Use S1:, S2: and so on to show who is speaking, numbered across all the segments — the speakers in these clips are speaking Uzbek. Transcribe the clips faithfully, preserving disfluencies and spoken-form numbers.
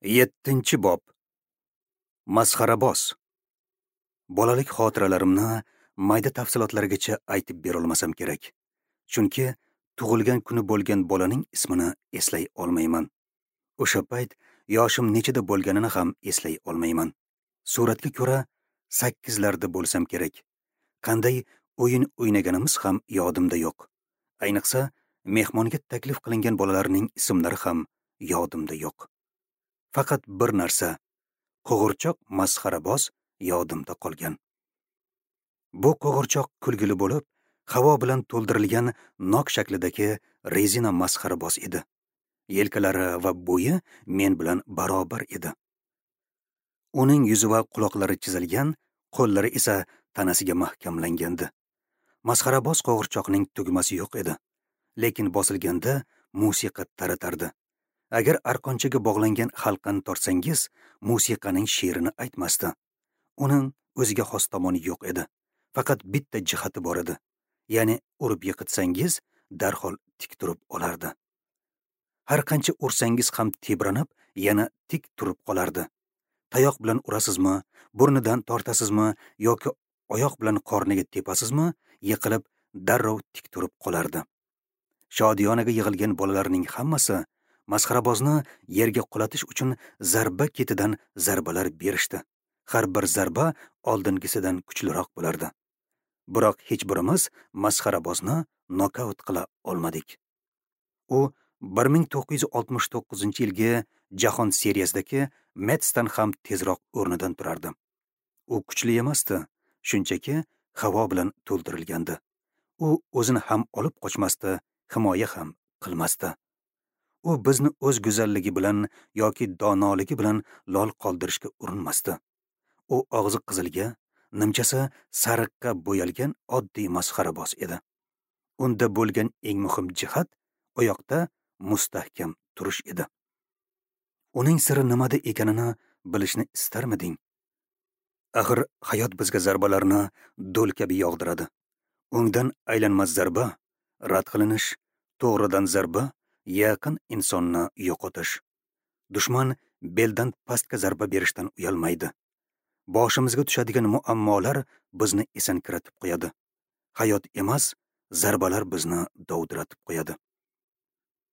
S1: Yettinchi bob. Masxaraboz. Bolalik xotiralarimni mayda tafsilotlargacha aytib berolmasam kerak. Chunki tug'ilgan kuni bo'lgan bolaning ismini eslay olmayman. O'sha payt yoshim nechida bo'lganini ham eslay olmayman. Suratga ko'ra sakkizlarda bo'lsam kerak. Qanday o'yin o'ynaganimiz ham yodimda yo'q. Ayniqsa, mehmonga taklif qilingan bolalarning ismlari ham yodimda yo'q. Faqat bir narsa, qo'g'irchoq masxaraboz yodimda qolgan. Bu qo'g'irchoq kulgili bo'lib, havo bilan to'ldirilgan nok shaklidagi rezina masxaraboz edi. Yelkalari va bo'yi men bilan barobar edi. Uning yuzi va quloqlari chizilgan, qo'llari esa tanasiga mahkamlangandi. Masxaraboz qo'g'irchoqning tugmasi yo'q edi, lekin bosilganda musiqa taratardi. Agar arqonchaga bog'langan halqani tortsangiz, musiqaning she'rini aytmasdi. Uning o'ziga xos tomoni yo'q edi. Faqat bitta jihati bor edi. Ya'ni urib yiqitsangiz, darhol tik turib olardi. Har qancha ursangiz ham tebranib, yana tik turib qolardi. Tayoq bilan urasizmi, burnidan tortasizmi yoki oyoq bilan qorniga tepasizmi, yiqilib darrov tik turib qolardi. Shodiyonaga yig'ilgan bolalarning hammasi masxarabozni yerga qulatish uchun zarba ketidan zarbalar berishdi. Har bir zarba oldingisidan kuchliroq bo'lardi. Biroq hech birimiz masxarabozni nokaut qila olmadik. U bir ming to'qqiz yuz oltmish to'qqizinchi yilgi jahon seriyasidagi Metsdan ham tezroq o'rnidan turardi. U kuchli emasdi, shunchaki havo bilan to'ldirilgandi. U o'zini ham olib qochmasdi, himoya ham qilmasdi. U bizni o'z go'zalligi bilan yoki donoligi bilan lol qoldirishga urinmasdi. U og'zi qizilga, nimchasi sariqqa bo'yalgan oddiy masxaraboz edi. Unda bo'lgan eng muhim jihat oyoqda mustahkam turish edi. Uning siri nimada ekanini bilishni istarmiding? Axir hayot bizga zarbalarni do'l kabi yog'diradi. O'ngdan aylanmas zarba, rad qilinish, to'g'ridan zarba, yaqin insonni yo'qotish. Dushman beldan pastga zarba berishdan uyalmaydi. Boshimizga tushadigan muammolar bizni esankiratib qo'yadi. Hayot emas, zarbalar bizni dovdiratib qo'yadi.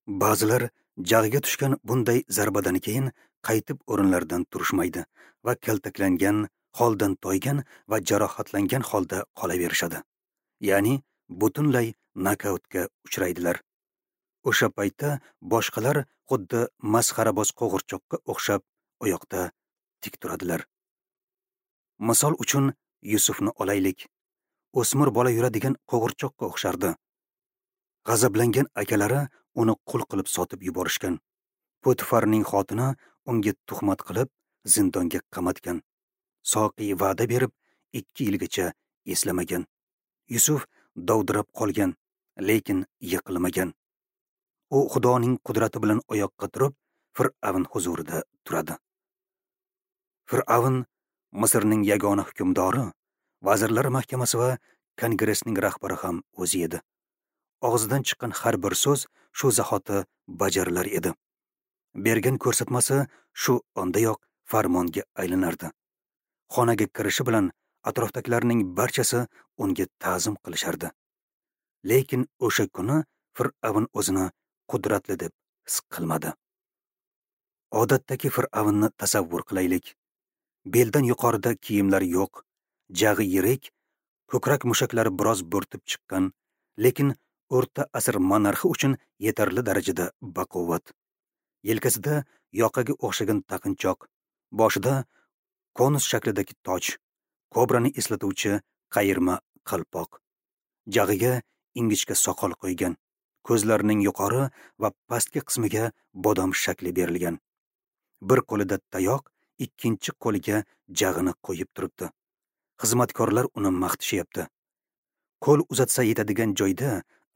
S1: Ba'zilar jag'iga tushgan bunday zarbadan keyin qaytib o'rinlaridan turishmaydi va kaltaklangan, holdan toygan va jarohatlangan holda qolaverishadi. Ya'ni butunlay nokautga uchraydilar. O'sha paytda boshqalar xuddi masxaraboz qo'g'irchoqqa o'xshab oyoqda tik turadilar. Misol uchun Yusufni olaylik. O'smir bola yuradigan qo'g'irchoqqa o'xshardi. G'azablangan akalari uni qul qilib sotib yuborishgan. Potifarning xotini unga tuhmat qilib zindonga qamatgan. Soqiy va'da berib ikki yilgacha eslamagan. Yusuf dovdirab qolgan, lekin yiqilmagan. U Xudoning qudrati bilan oyoqqa turib, Fir'avn huzurida turadi. Fir'avn Misrning yagona hukmdori, vazirlar mahkamasi va kongressning rahbari ham o'zi edi. Og'zidan chiqqan har bir so'z shu zahoti bajarilar edi. Bergan ko'rsatmasi shu ondayoq farmonga aylanardi. Xonaga kirishi bilan atrofdagilarning barchasi unga ta'zim qilishardi. Lekin o'sha kuni Fir'avn o'zini qudratli deb his qilmadi. Odatdagi Fir'avnni tasavvur qilaylik. Beldan yuqorida kiyimlar yo'q, jag'i yirik, ko'krak mushaklari biroz bo'rtib chiqqan, lekin o'rta asr monarxi uchun yetarli darajada baquvvat. Yelkasida yoqaga o'xshagan taqinchoq, boshida konus shaklidagi toj, kobrani eslatuvchi qayirma qalpoq. Jag'iga ingichka soqol qo'ygan, ko'zlarining yuqori va pastki qismiga bodom shakli berilgan. Bir qo'lida tayoq, ikkinchi qo'liga jag'ini qo'yib turibdi. Xizmatkorlar uni maqtishyapti. Qo'l uzatsa yetadigan joyda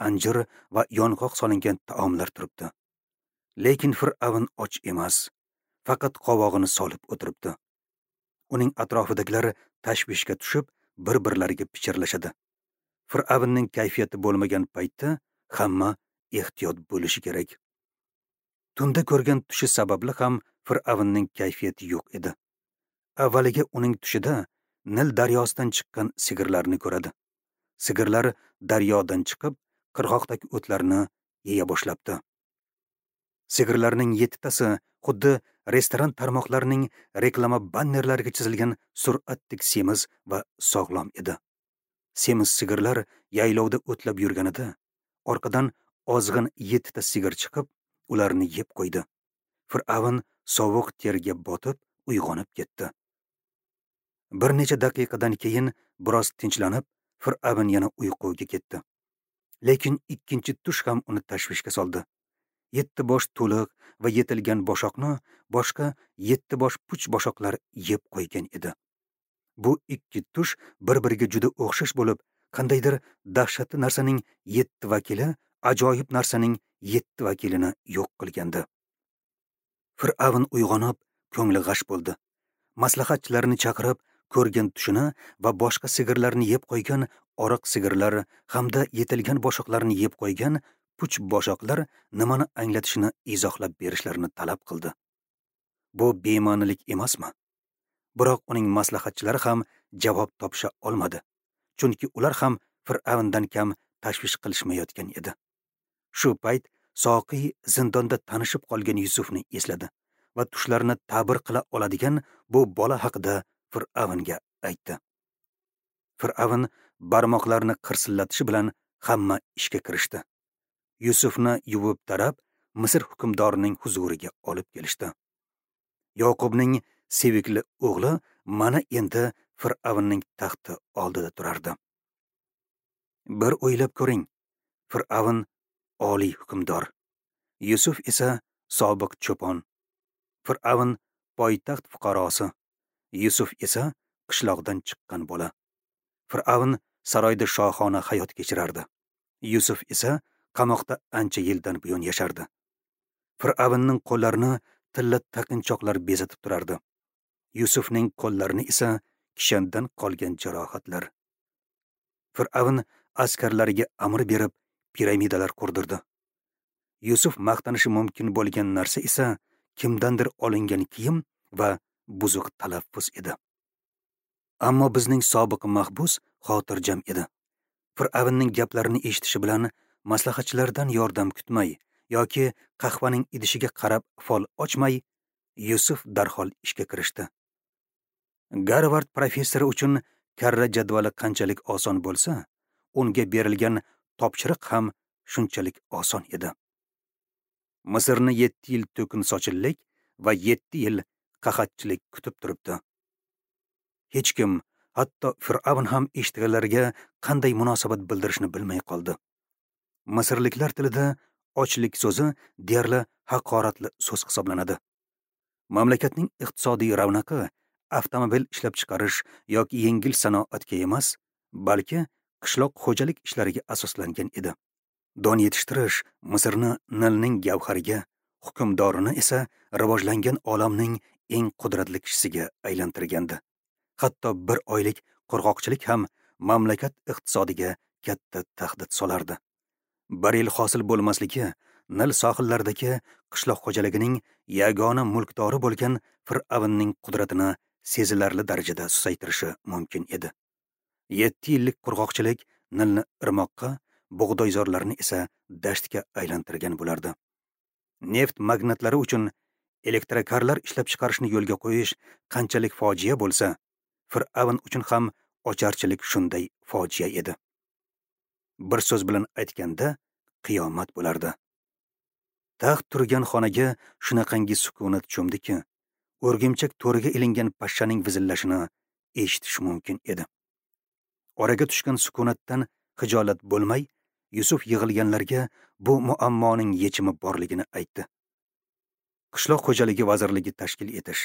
S1: anjir va yong'oq solingan taomlar turibdi. Lekin Fir'avn och emas, faqat qovog'ini solib o'tiribdi. Uning atrofidagilar tashvishga tushib, bir-birlariga pichirlashadi. Fir'avnning kayfiyati bo'lmagan paytda hamma ehtiyot bo'lishi kerak. Tunda ko'rgan tushi sababli ham Fir'avnning kayfiyati yo'q edi. Avvaliga uning tushida Nil daryosidan chiqqan sigirlarni ko'radi. Sigirlar daryodan chiqib, qirg'oqdagi o'tlarni yeya boshlabdi. Sigirlarning yettitasi xuddi restoran tarmoqlarining reklama bannerlariga chizilgan suratdek semiz va sog'lom edi. Semiz sigirlar yaylovda o'tlab yurganida, orqadan ozg'in yettita sigir chiqib, ularni yeb qo'ydi. Fir'avn sovuq terga botib, uyg'onib ketdi. Bir necha daqiqadan keyin biroz tinchlanib, Fir'avn yana uyquga ketdi. Lekin ikkinchi tush ham uni tashvishga soldi. Yetti bosh to'liq va yetilgan boshoqni boshqa yetti bosh puch boshoqlar yeb qo'ygan edi. Bu ikki tush bir-biriga juda o'xshash bo'lib, qandaydir dahshatli narsaning yetti vakili ajoyib narsaning yetti vakilini yo'q qilgandi. Fir'avn uyg'onib, ko'ngli g'ash bo'ldi. Maslahatchilarini chaqirib, ko'rgan tushini va boshqa sigirlarni yeb qo'ygan oriq sigirlar hamda yetilgan boshoqlarni yeb qo'ygan puch boshoqlar nimani anglatishini izohlab berishlarini talab qildi. Bu bema'nilik emasmi? Biroq uning maslahatchilari ham javob topisha olmadi, chunki ular ham Fir'avndan kam tashvish qilishmayotgan edi. Shu payt soqiy zindonda tanishib qolgan Yusufni esladi va tushlarini ta'bir qila oladigan bu bola haqida Fir'avnga aytdi. Fir'avn barmoqlarini qirsillatishi bilan hamma ishga kirishdi. Yusufni yuvib tarab, Misr hukmdorining huzuriga olib kelishdi. Yoqubning sevikli o'g'li mana endi Fir'avnning taxti oldida turardi. Bir o'ylab ko'ring, Fir'avn oliy hukmdor, Yusuf esa sobiq cho'pon. Fir'avn poytaxt fuqarosi, Yusuf esa qishloqdan chiqqan bola. Fir'avn saroyda shohona hayot kechirardi. Yusuf esa qamoqda ancha yildan buyon yashardi. Fir'avnning qo'llarini tilla taqinchoqlar bezatib turardi. Yusufning qo'llarini esa kishandan qolgan jarohatlar. Fir'avn askarlariga amr berib, piramidalar qurdirdi. Yusuf maqtanishi mumkin bo'lgan narsa esa kimdandir olingan kiyim va buzuq talaffuz edi. Ammo bizning sobiq mahbus xotirjam edi. Fir'avnning gaplarini eshitishi bilan maslahatchilardan yordam kutmay yoki qahvaning idishiga qarab fol ochmay, Yusuf darhol ishga kirishdi. Garvard professori uchun karra jadvali qanchalik oson bo'lsa, unga berilgan topshiriq ham shunchalik oson edi. Misrni yetti yil to'kin sochillik va yetti yil qahatchilik kutib turibdi. Hech kim, hatto Fir'avn ham eshitganlarga qanday munosabat bildirishni bilmay qoldi. Misrliklar tilida ochlik so'zi deyarli haqoratli so'z hisoblanadi. Mamlakatning iqtisodiy ravnaqi avtomobil ishlab chiqarish yoki yengil sanoatga emas, balki qishloq xo'jalik ishlariga asoslangan edi. Don yetishtirish Misrni Nilning gavhariga, hukmdorini esa rivojlangan olamning eng qudratli kishisiga aylantirgandi. Hatto bir oylik qurg'oqchilik ham mamlakat iqtisodiga katta tahdid solardi. Bir yil hosil bo'lmasligi Nil sohillaridagi qishloq xo'jaligining yagona mulkdori bo'lgan Fir'avnning qudratini sezilarli darajada susaytirishi mumkin edi. Yetti yillik qurg'oqchilik Nilni irmoqqa, bug'doyzorlarni esa dashtga aylantirgan bo'lardi. Neft magnatlari uchun elektrokarlar ishlab chiqarishni yo'lga qo'yish qanchalik fojia bo'lsa, Fir'avn uchun ham ocharchilik shunday fojia edi. Bir so'z bilan aytganda, qiyomat bo'lardi. Taxt turgan xonaga shunaqangi sukunat cho'mdiki, o'rgimchak to'riga ilingan pashshaning vizillashini eshitish mumkin edi. Oraga tushgan sukunatdan xijolat bo'lmay, Yusuf yig'ilganlarga bu muammoning yechimi borligini aytdi. Qishloq xo'jaligi vazirligi tashkil etish,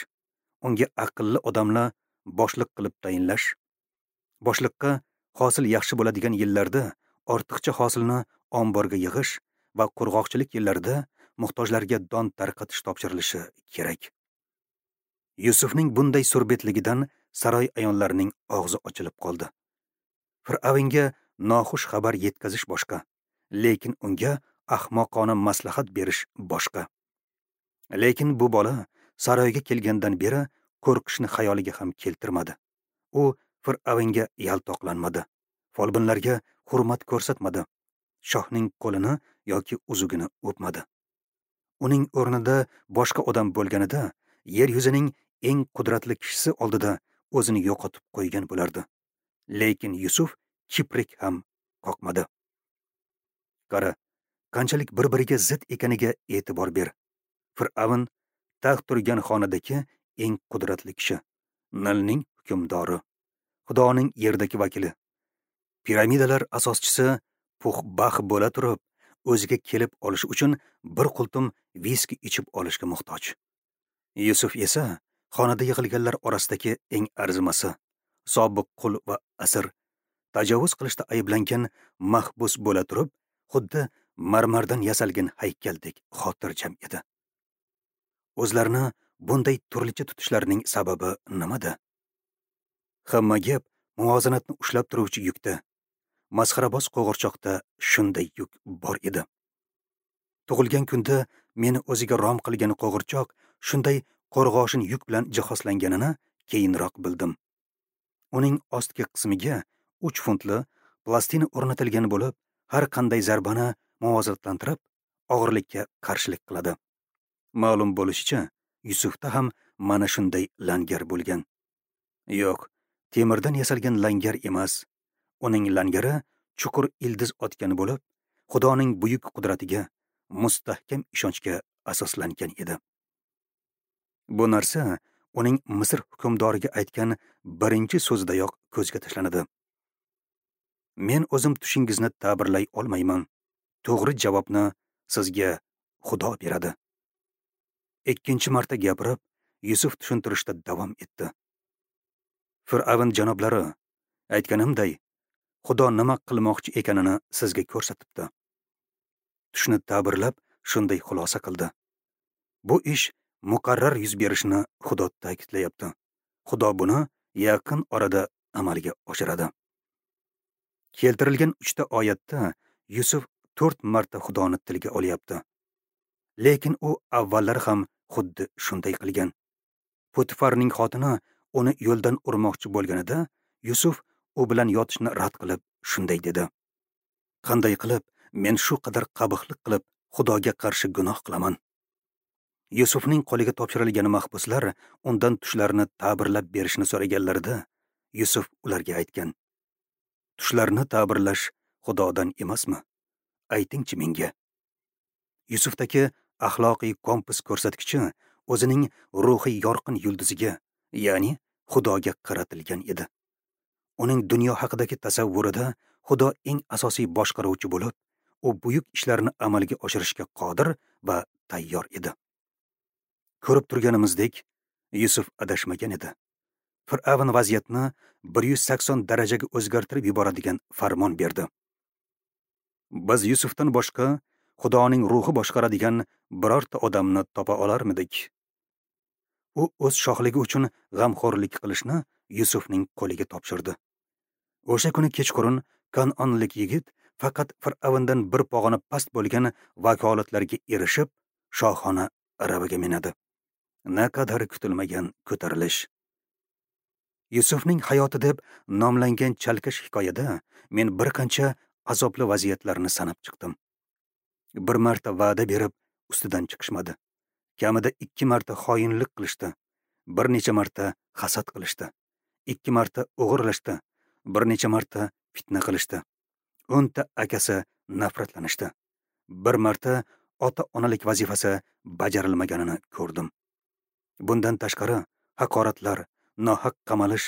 S1: unga aqlli odamlar boshliq qilib tayinlash, boshliqqa hosil yaxshi bo'ladigan yillarda ortiqcha hosilni omborga yig'ish va qurg'oqchilik yillarida muhtojlarga don tarqatish topshirilishi kerak. Yusufning bunday surbetligidan saroy ayonlarining og'zi ochilib qoldi. Fir'avnga noxush xabar yetkazish boshqa, lekin unga ahmoqona maslahat berish boshqa. Lekin bu bola saroyga kelgandan beri qo'rqishni xayoliga ham keltirmadi. U Fir'avnga yaltoqlanmadi, folbinlarga hurmat ko'rsatmadi, shohning qo'lini yoki uzugini o'pmadi. Uning o'rnida boshqa odam bo'lganida yer yuzining eng qudratli kishisi oldida o'zini yo'qotib qo'ygan bo'lardi. Lekin Yusuf kiprik ham qoqmadi. Qara, qanchalik bir-biriga zid ekaniga e'tibor ber. Fir'avn taxt turgan xonadagi eng qudratli kishi, Nilning hukmdori, Xudoning yerdagi vakili. Piramidalar asoschisi Puxbax bo'la turib, o'ziga kelib olish uchun bir qultum viski ichib olishga muhtoj. Yusuf esa xonada yig'ilganlar orasidagi eng arzimasi, sobiq qul va asir, tajovuz qilishda ayblangan mahbus bo'la turib, xuddi marmardan yasalgan haykaldek xotirjam edi. O'zlarini bunday turlicha tutishlarining sababi nimada? Hamma gap muvozanatni ushlab turuvchi yukda. Masxaraboz qo'g'irchoqda shunday yuk bor edi. Tug'ilgan kunda meni o'ziga rom qilgan qo'g'irchoq shunday qo'rg'oshin yuk bilan jihozlanganini keyinroq bildim. Uning ostki qismiga uch funtli plastina o'rnatilgan bo'lib, har qanday zarbani muvozanatlantirib, og'irlikka qarshilik qiladi. Ma'lum bo'lishicha, Yusufda ham mana shunday langar bo'lgan. Yo'q, temirdan yasalgan langar emas. Uning langari chuqur ildiz otgan bo'lib, Xudoning buyuk qudratiga, mustahkam ishonchga asoslangan edi. Bu narsa uning Misr hukmdoriga aytgan birinchi so'zidayoq ko'zga tashlanadi. Men o'zim tushingizni ta'birlay olmayman. To'g'ri javobni sizga Xudo beradi. Ikkinchi marta gapirib, Yusuf tushuntirishda davom etdi. Fir'avn janoblari, aytganimday, Xudo nima qilmoqchi ekanini sizga ko'rsatibdi. Tushni ta'birlab shunday xulosa qildi. Bu ish muqarrar yuz berishini Xudo ta'kidlayapti. Xudo buni yaqin orada amalga oshiradi. Keltirilgan uchta oyatda Yusuf to'rt marta Xudoni tilga olyapti. Lekin u avvallar ham xuddi shunday qilgan. Potifarning xotini uni yo'ldan urmoqchi bo'lganida Yusuf u bilan yotishni rad qilib shunday dedi: Qanday qilib men shu qadar qabihlik qilib Xudoga qarshi gunoh qilaman? Yusufning qo'liga topshirilgan mahbuslar undan tushlarini ta'birlab berishni so'raganlarida Yusuf ularga aytgan: Tushlarni ta'birlash Xudodan emasmi? Aytingchi menga. Yusufdagi axloqiy kompas ko'rsatkichi o'zining ruhiy yorqin yulduziga, ya'ni Xudoga qaratilgan edi. Uning dunyo haqidagi tasavvurida Xudo eng asosiy boshqaruvchi bo'lib, u buyuk ishlarni amalga oshirishga qodir va tayyor edi. Ko'rib turganimizdek, Yusuf adashmagan edi. Fir'avn vaziyatni bir yuz sakson darajaga o'zgartirib yuboradigan farmon berdi. Biz Yusufdan boshqa Xudoning ruhi boshqaradigan birorta odamni topa olarmidik? U o'z shohligi uchun g'amxo'rlik qilishni Yusufning qo'liga topshirdi. O'sha kuni kechqurun Kanonlik yigit faqat Fir'avndan bir pog'ona past bo'lgan vakolatlarga erishib, shohona aravaga minadi. Naqadar kutilmagan ko'tarilish. Yusufning hayoti deb nomlangan chalkash hikoyada men bir qancha azobli vaziyatlarni sanab chiqdim. Bir marta va'da berib ustidan chiqishmadi. Kamida ikki marta xoinlik qilishdi, bir necha marta hasad qilishdi, ikki marta o'g'irlashdi, bir necha marta fitna qilishdi. O'nta akasi nafratlanishdi. Bir marta ota-onalik vazifasi bajarilmaganini ko'rdim. Bundan tashqari haqoratlar, nohaq qamalish,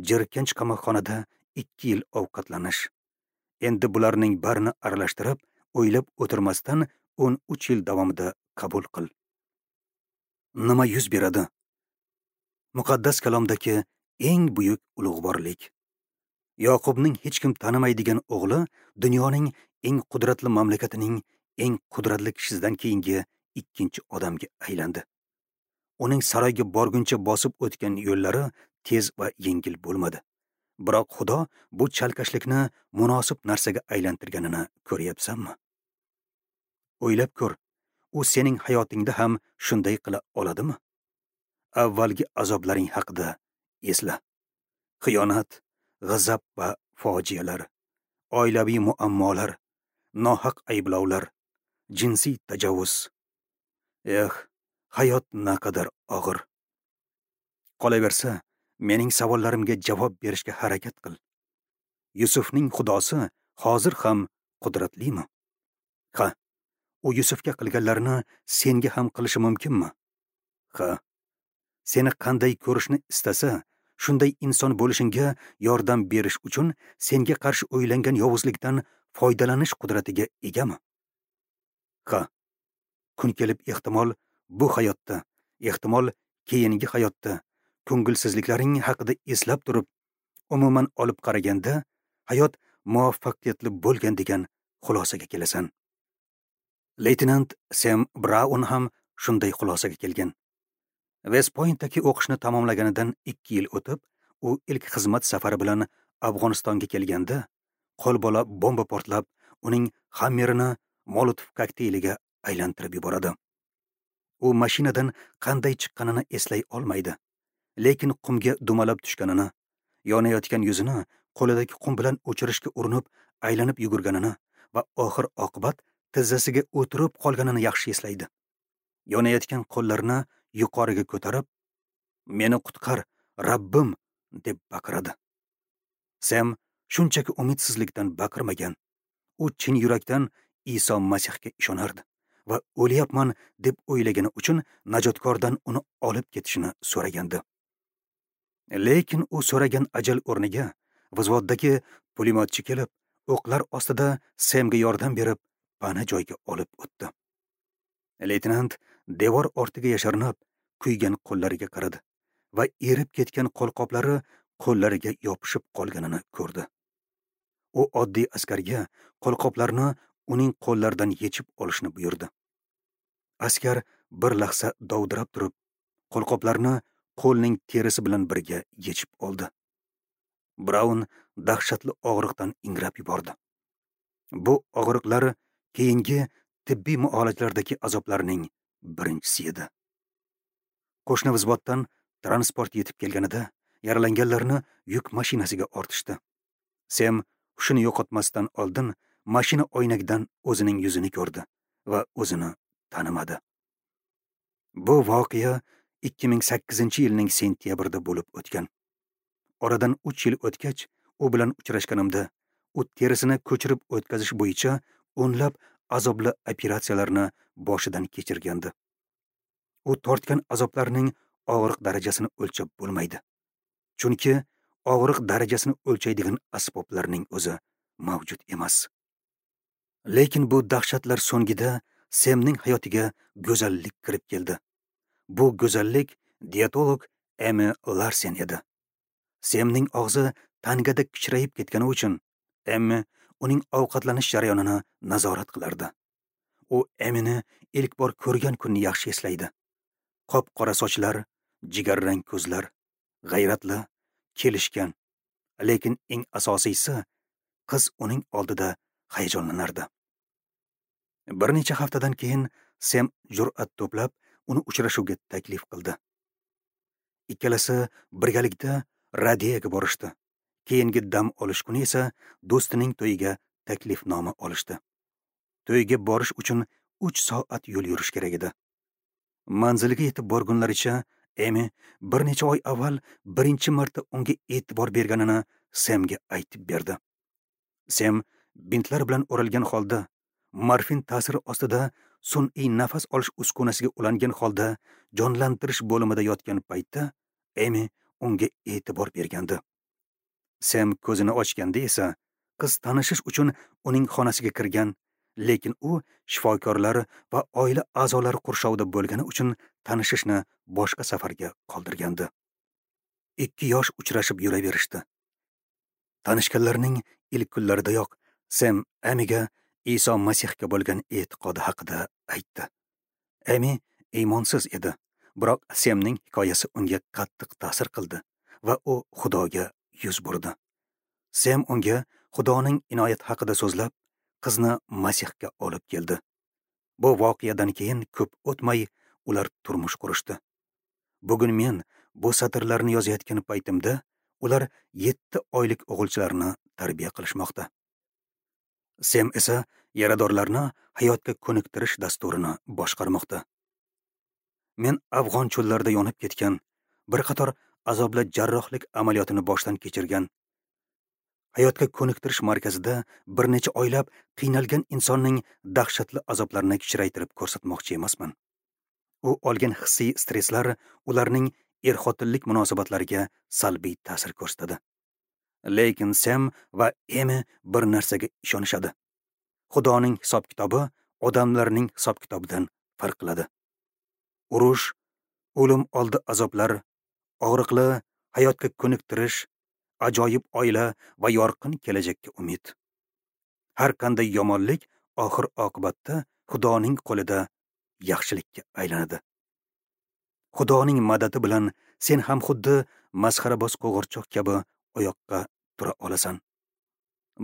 S1: jirkanch qamoqxonada ikki yil ovqatlanish. Endi bularning barini aralashtirib, o'ylab o'tirmasdan o'n uch yil davomida qabul qil. Nima yuz beradi? Muqaddas kalomdagi eng buyuk ulug'vorlik. Yoqubning hech kim tanimaydigan o'g'li dunyoning eng qudratli mamlakatining eng qudratli kishisidan keyingi ikkinchi odamga aylandi. Uning saroyga borguncha bosib o'tgan yo'llari tez va yengil bo'lmadi. Biroq Xudo bu chalkashlikni munosib narsaga aylantirganini ko'ryapsanmi? O'ylab ko'r, u sening hayotingda ham shunday qila oladimi? Avvalgi azoblaring haqida esla. Xiyonat, g'azab va fojialar, oilaviy muammolar, nohaq ayblovlar, jinsiy tajovuz. Eh, hayot naqadar og'ir. Qolaversa, mening savollarimga javob berishga harakat qil. Yusufning xudosi hozir ham qudratlimi? Ha, u Yusufga qilganlarini senga ham qilishi mumkinmi? Ha, seni qanday ko'rishni istasa, shunday inson bo'lishingga yordam berish uchun senga qarshi o'ylangan yovuzlikdan foydalanish qudratiga egami? Ha, kun kelib ehtimol bu hayotda, ehtimol keyingi hayotda ko'ngilsizliklaring haqida eslab turib, umuman olib qaraganda hayot muvaffaqiyatli bo'lgan degan xulosaga kelasan. Leytenant Sem Braun ham shunday xulosaga kelgan. West Pointdagi o'qishni tamomlaganidan ikki yil o'tib, u ilk xizmat safari bilan Afg'onistonga kelganda, qo'lbola bomba portlab, uning Hammerini Molotov kokteyliga aylantirib yuboradi. U mashinadan qanday chiqqanini eslay olmaydi, lekin qumga dumalab tushganini, yonayotgan yuzini qo'lidagi qum bilan o'chirishga urinib aylanib yugurganini va oxir oqibat tizzasiga o'tirib qolganini yaxshi eslaydi. Yonayotgan qo'llarini yuqoriga ko'tarib, "Meni qutqar, Rabbim!" deb baqiradi. Sem shunchaki umidsizlikdan baqirmagan. U chin yurakdan Iso Masihga ishonardi va o'lyapman deb o'ylagani uchun najotkordan uni olib ketishini so'ragandi. Lekin u so'ragan ajal o'rniga vzvoddagi pulemyotchi kelib, o'qlar ostida Semga yordam berib, pana joyga olib o'tdi. Leytenant devor ortiga yashirinib, kuygan qo'llariga qaradi va erib ketgan qo'lqoplari qo'llariga yopishib qolganini ko'rdi. U oddiy askarga qo'lqoplarni uning qo'llaridan yechib olishni buyurdi. Askar bir lahza dovdirab turib, qo'lqoplarni qo'lning terisi bilan birga yechib oldi. Braun dahshatli og'riqdan ingrab yubordi. Bu og'riqlar keyingi tibbiy muolajalardagi azoblarning birinchisi edi. Qo'shni vzvoddan transport yetib kelganida yaralanganlarni yuk mashinasiga ortishdi. Sem hushini yo'qotmasdan oldin mashina oynagidan o'zining yuzini ko'rdi va o'zini tanimadi. Bu voqea ikki ming sakkizinchi yilning sentyabrida bo'lib o'tgan. Oradan uch yil o'tgach, u bilan uchrashganimda u terisini ko'chirib o'tkazish bo'yicha o'nlab azobli operatsiyalarni boshidan kechirgandi. U tortgan azoblarning og'riq darajasini o'lchab bo'lmaydi. Chunki og'riq darajasini o'lchaydigan asboblarning o'zi mavjud emas. Lekin bu dahshatlar so'ngida Semning hayotiga go'zallik kirib keldi. Bu go'zallik dietolog Emi Larsen edi. Semning og'zi tangada kichrayib ketgani uchun Emmi uning ovqatlanish jarayonini nazorat qilardi. U Emmini ilk bor ko'rgan kunni yaxshi eslaydi. Qop-qora sochlar, jigarrang ko'zlar, g'ayratli, kelishgan, lekin eng asosiysi qiz uning oldida hayajonlanardi. Bir necha haftadan keyin Sem jur'at to'plab uni uchrashuvga taklif qildi. Ikkalasi birgalikda radiyaga borishdi. Keyingi dam olish kuni esa do'stining to'yiga taklifnoma olishdi. To'yga borish uchun uch soat yo'l yurish kerak edi. Manziliga yetib borgunlaricha Emi bir necha oy avval birinchi marta unga e'tibor berganini Semga aytib berdi. Sem bintlar bilan o'ralgan holda, morfin ta'siri ostida sun'iy nafas olish uskunasiga ulangan holda jonlantirish bo'limida yotgan paytda Emi unga e'tibor bergandi. Sem ko'zini ochganda esa qiz tanishish uchun uning xonasiga kirgan, lekin u shifokorlar va oila a'zolari qurshovida bo'lgani uchun tanishishni boshqa safarga qoldirgandi. Ikki yosh uchrashib yuraverishdi. Tanishganlarning ilk kunlaridayoq Sem Emiga Iso Masihga bo'lgan e'tiqodi haqida aytdi. Emi iymonsiz edi, biroq Semning hikoyasi unga qattiq ta'sir qildi va u Xudoga yuz burdi. Sem unga Xudoning inoyat haqida so'zlab, qizni Masihga olib keldi. Bu voqeadan keyin ko'p o'tmay ular turmush qurishdi. Bugun men bu satrlarni yozayotgan paytimda ular yetti oylik o'g'ilchilarni tarbiya qilishmoqda. Sem esa yaradorlarni hayotga ko'niktirish dasturini boshqarmoqda. Men afg'on cho'llarida yonib ketgan, bir qator azobli jarrohlik amaliyotini boshdan kechirgan, hayotga ko'niktirish markazida bir necha oylab qiynalgan insonning dahshatli azoblarini kichraytirib ko'rsatmoqchi emasman. U olgan hissiy stresslar ularning er-xotinlik munosabatlariga salbiy ta'sir ko'rsatadi. Lekin Sem va Emi bir narsaga ishonishadi. Xudoning hisob-kitobi odamlarning hisob-kitobidan farq qiladi. Urush, o'lim oldi azoblar, og'riqli hayotga ko'niktirish, ajoyib oila va yorqin kelajakka umid. Har qanday yomonlik oxir oqibatda Xudoning qo'lida yaxshilikka aylanadi. Xudoning madadi bilan sen ham xuddi masxaraboz qo'g'irchoq kabi oyoqqa tura olasan.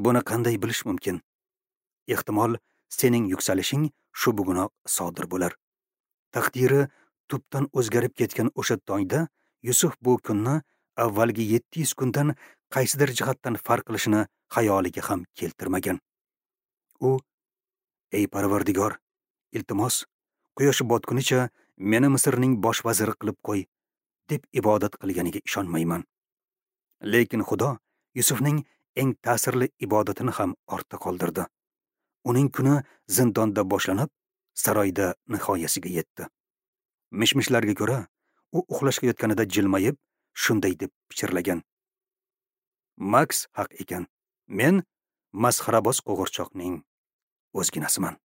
S1: Buni qanday bilish mumkin? Ehtimol sening yuksalishing shu bugunoq sodir bo'lar. Taqdiri tubdan o'zgarib ketgan o'sha tongda Yusuf bu kunni avvalgi yetti yuz kundan qaysidir jihatdan farq qilishini xayoliga ham keltirmagan. U: "Ey Parvardigor, iltimos, quyosh botgunicha meni Misrning bosh vaziri qilib qo'y", deb ibodat qilganiga ishonmayman. Lekin Xudo Yusufning eng ta'sirli ibodatini ham ortda qoldirdi. Uning kuni zindonda boshlanib, saroyda nihoyasiga yetdi. Mishmishlarga ko'ra, u uxlashga yotganida jilmayib, shunday deb pichirlagan: "Max haq ekan. Men masxaraboz qo'g'irchoqning o'zginasiman."